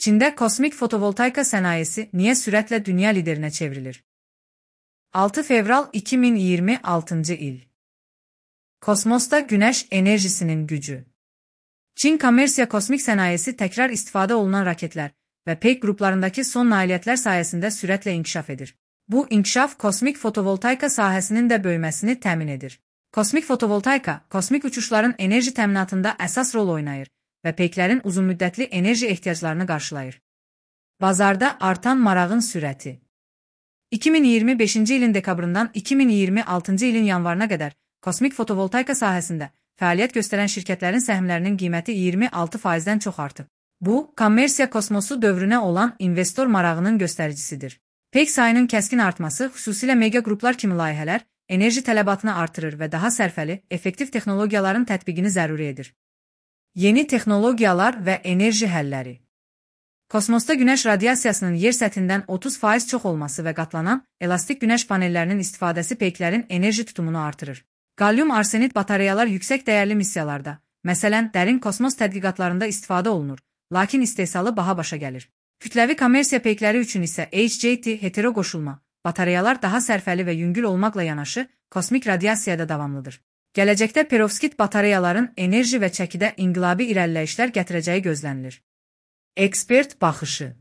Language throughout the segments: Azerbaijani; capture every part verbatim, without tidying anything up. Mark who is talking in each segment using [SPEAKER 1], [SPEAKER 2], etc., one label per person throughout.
[SPEAKER 1] Çində kosmik fotovoltaika sənayesi niyə sürətlə dünya liderinə çevrilir? altı fevral iki min iyirmi altıncı il. Kosmosda günəş enerjisinin gücü. Çin kommersiya kosmik sənayesi təkrar istifadə olunan raketlər və peyk qruplarındakı son nailiyyətlər sayəsində sürətlə inkişaf edir. Bu inkişaf kosmik fotovoltaika sahəsinin də böyüməsini təmin edir. Kosmik fotovoltaika, kosmik uçuşların enerji təminatında əsas rol oynayır və peyklərin uzunmüddətli enerji ehtiyaclarını qarşılayır. Bazarda artan marağın sürəti. iki min iyirmi beşinci ilin dekabrından iki min iyirmi altıncı ilin yanvarına qədər kosmik fotovoltaika sahəsində fəaliyyət göstərən şirkətlərin səhmlərinin qiyməti iyirmi altı faizdən çox artıb. Bu, kommersiya kosmosu dövrünə olan investor marağının göstəricisidir. Peyk sayının kəskin artması, xüsusilə mega qruplar kimi layihələr, enerji tələbatını artırır və daha sərfəli, effektiv texnologiyaların tətbiqini zəruri edir. Yeni texnologiyalar və enerji həlləri. Kosmosda günəş radiasiyasının yer səthindən otuz faiz çox olması və qatlanan, elastik günəş panellərinin istifadəsi peyklərin enerji tutumunu artırır. Qalyum arsenid batareyalar yüksək dəyərli missiyalarda, məsələn, dərin kosmos tədqiqatlarında istifadə olunur, lakin istehsalı baha başa gəlir. Kütləvi kommersiya peykləri üçün isə H J T hetero qoşulma, batareyalar daha sərfəli və yüngül olmaqla yanaşı, kosmik radiasiyada davamlıdır. Gələcəkdə perovskit batareyaların enerji və çəkidə inqilabi irəliləyişlər gətirəcəyi gözlənilir. Ekspert baxışı.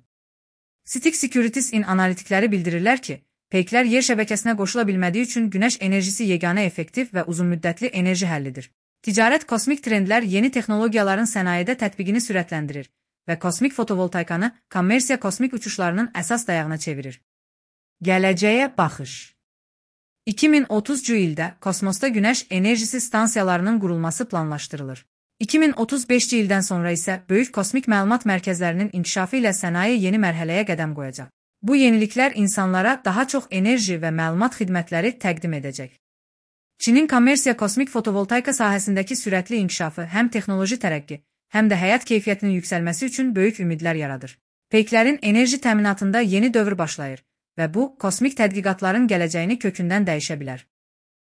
[SPEAKER 1] Stick Securities-in analitikləri bildirirlər ki, peyklər yer şəbəkəsinə qoşula bilmədiyi üçün günəş enerjisi yeganə effektiv və uzunmüddətli enerji həllidir. Ticarət kosmik trendlər yeni texnologiyaların sənayedə tətbiqini sürətləndirir və kosmik fotovoltaikanı kommersiya kosmik uçuşlarının əsas dayağına çevirir. Gələcəyə baxış. iki min otuzuncu ildə kosmosda günəş enerjisi stansiyalarının qurulması planlaşdırılır. iki min otuz beşinci ildən sonra isə böyük kosmik məlumat mərkəzlərinin inkişafı ilə sənaye yeni mərhələyə qədəm qoyacaq. Bu yeniliklər insanlara daha çox enerji və məlumat xidmətləri təqdim edəcək. Çinin kommersiya kosmik fotovoltaika sahəsindəki sürətli inkişafı həm texnoloji tərəqqi, həm də həyat keyfiyyətinin yüksəlməsi üçün böyük ümidlər yaradır. Peyklərin enerji təminatında yeni dövr başlayır və bu, kosmik tədqiqatların gələcəyini kökündən dəyişə bilər.